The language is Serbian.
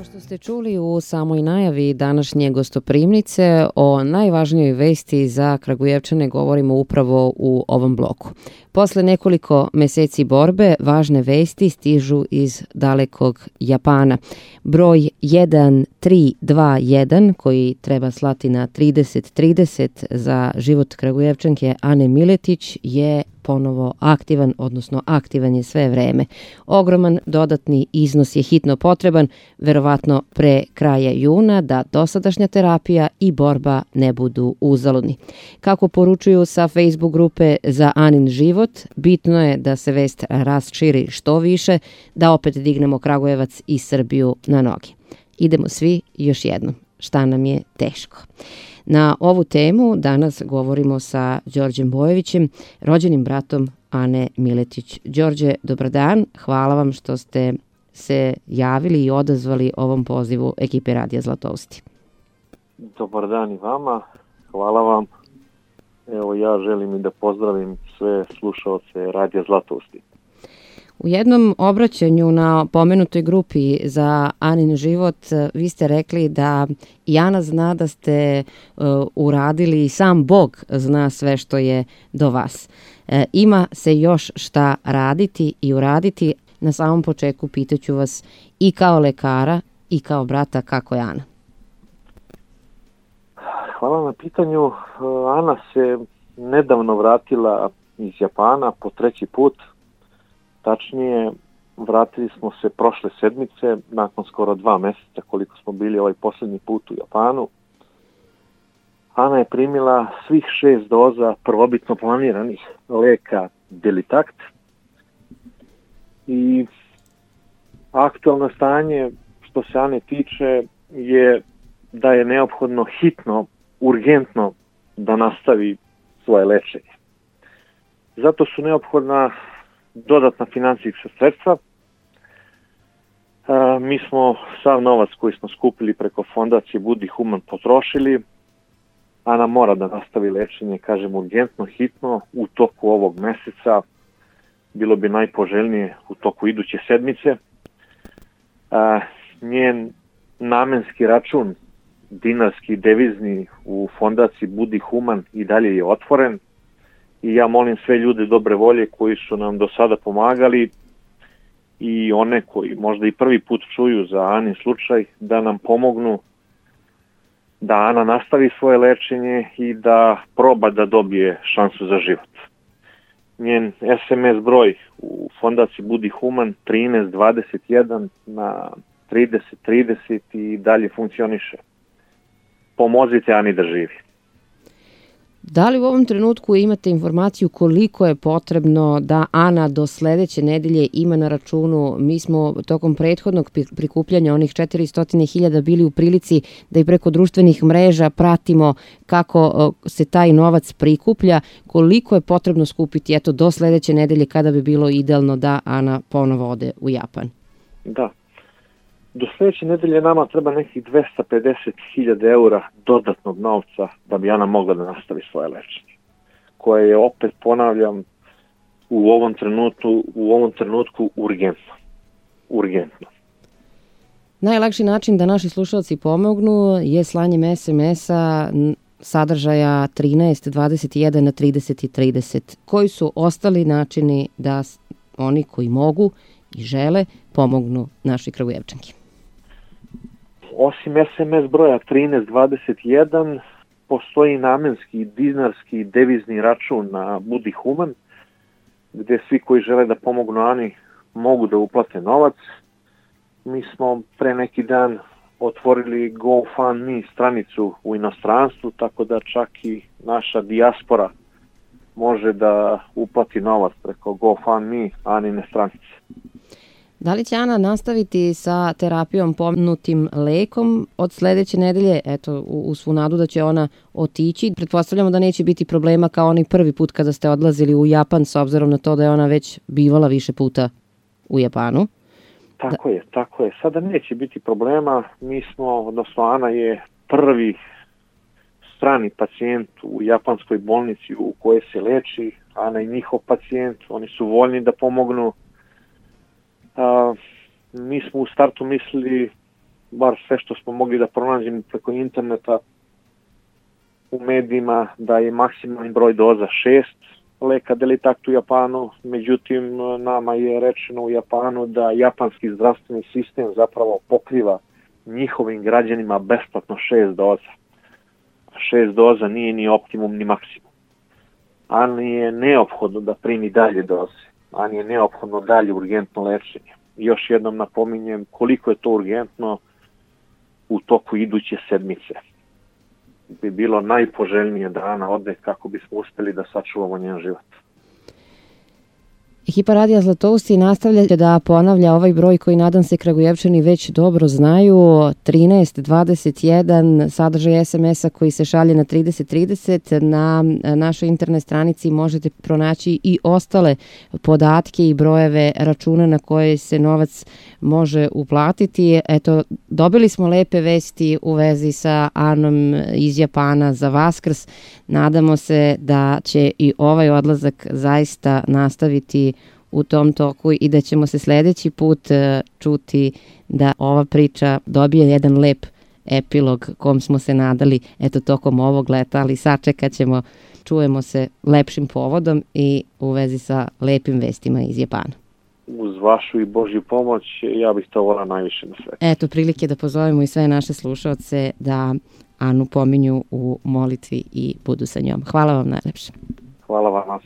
Kao što ste čuli u samoj najavi današnje gostoprimnice, o najvažnijoj vesti za Kragujevčane govorimo upravo u ovom bloku. Posle nekoliko meseci borbe, važne vesti stižu iz dalekog Japana. Broj 1321, koji treba slati na 3030 za život Kragujevčanke Ane Miletić, je ponovo aktivan, odnosno aktivan je sve vreme. Ogroman dodatni iznos je hitno potreban, verovatno pre kraja juna, da dosadašnja terapija i borba ne budu uzaludni. Kako poručuju sa Facebook grupe Za Anin život, bitno je da se vest raširi što više, da opet dignemo Kragujevac i Srbiju na noge. Idemo svi još jednom. Šta nam je teško? Na ovu temu danas govorimo sa Đorđem Bojevićem, rođenim bratom Ane Miletić. Đorđe, dobar dan. Hvala vam što ste se javili i odazvali ovom pozivu ekipe Radija Zlatousti. Dobar dan i vama. Hvala vam. Evo, ja želim i da pozdravim sve slušaoce Radija Zlatousti. U jednom obraćanju na pomenutoj grupi Za Anin život vi ste rekli da i Ana zna da ste uradili i sam Bog zna sve što je do vas. Ima se još šta raditi i uraditi. Na samom početku pitaću vas i kao lekara i kao brata kako je Ana. Hvala na pitanju. Ana se nedavno vratila iz Japana po 3. put. Tačnije, vratili smo se prošle sedmice, nakon skoro 2 meseca koliko smo bili ovaj posljednji put u Japanu. Ana je primila svih 6 doza prvobitno planiranih leka Delitakt i aktualno stanje što se Ane tiče je da je neophodno hitno, urgentno da nastavi svoje lečenje. Zato su neophodna dodatna financijska sredstva. Mi smo sav novac koji smo skupili preko fondacije Budi Human potrošili. Ana mora da nastavi lečenje, kažem urgentno, hitno, u toku ovog meseca. Bilo bi najpoželjnije u toku iduće sedmice. Njen namenski račun, dinarski, devizni u fondaciji Budi Human i dalje je otvoren. I ja molim sve ljude dobre volje koji su nam do sada pomagali i one koji možda i prvi put čuju za Anin slučaj da nam pomognu da Ana nastavi svoje lečenje i da proba da dobije šansu za život. Njen SMS broj u fondaciji Budi Human 1321 na 3030 i dalje funkcioniše. Pomozite Ani da živi. Da li u ovom trenutku imate informaciju koliko je potrebno da Ana do sledeće nedelje ima na računu? Mi smo tokom prethodnog prikupljanja onih 400.000 bili u prilici da i preko društvenih mreža pratimo kako se taj novac prikuplja. Koliko je potrebno skupiti do sledeće nedelje kada bi bilo idealno da Ana ponovo ode u Japan? Da. Do sljedeće nedelje nama treba nekih 250.000 eura dodatnog novca da bi Ana mogla da nastavi svoje lečenje, koje je, opet ponavljam, u ovom trenutku urgentno. Najlakši način da naši slušalci pomognu je slanjem SMS-a sadržaja 13, 21 na 30 i 30. Koji su ostali načini da oni koji mogu i žele pomognu našoj Kragujevčanki? Osim SMS broja 1321, postoji namenski, dinarski, devizni račun na Budi Human, gdje svi koji žele da pomognu Ani mogu da uplate novac. Mi smo pre neki dan otvorili GoFundMe stranicu u inostranstvu, tako da čak i naša dijaspora može da uplati novac preko GoFundMe Anine stranice. Da li će Ana nastaviti sa terapijom pomenutim lekom od sledeće nedelje? Eto, u svu nadu da će ona otići. Pretpostavljamo da neće biti problema kao onaj prvi put kada ste odlazili u Japan, s obzirom na to da je ona već bivala više puta u Japanu. Tako je. Sada neće biti problema. Ana je prvi strani pacijent u japanskoj bolnici u kojoj se leči. Ana je njihov pacijent. Oni su voljni da pomognu. Mi smo u startu mislili bar sve što smo mogli da pronađemo preko interneta, u medijima, da je maksimalni broj doza 6 leka Delitakt u Japanu, međutim nama je rečeno u Japanu da japanski zdravstveni sistem zapravo pokriva njihovim građanima besplatno 6 doza. 6 doza nije ni optimum ni maksimum. Ali je neophodno da primi dalje doze, ali je neophodno dalje urgentno lečenje. Još jednom napominjem koliko je to urgentno u toku iduće sedmice. Bi bilo najpoželjnije da Ana ode kako bismo uspeli da sačuvamo njen život. Ekipa Radija Zlatousti nastavlja da ponavlja ovaj broj koji nadam se Kragujevčani već dobro znaju, 1321, sadržaj SMS-a koji se šalje na 3030. Na našoj internet stranici možete pronaći i ostale podatke i brojeve računa na koje se novac može uplatiti. Eto, dobili smo lepe vesti u vezi sa Anom iz Japana za Vaskrs. Nadamo se da će i ovaj odlazak zaista nastaviti u tom toku i da ćemo se sledeći put čuti da ova priča dobije jedan lep epilog kom smo se nadali tokom ovog leta, ali sačekat ćemo, čujemo se lepšim povodom i u vezi sa lepim vestima iz Japana. Uz vašu i Božju pomoć ja bih to volao najviše na svetu. Eto prilike da pozovemo i sve naše slušaoce da Anu pominju u molitvi i budu sa njom. Hvala vam najlepše. Hvala vam.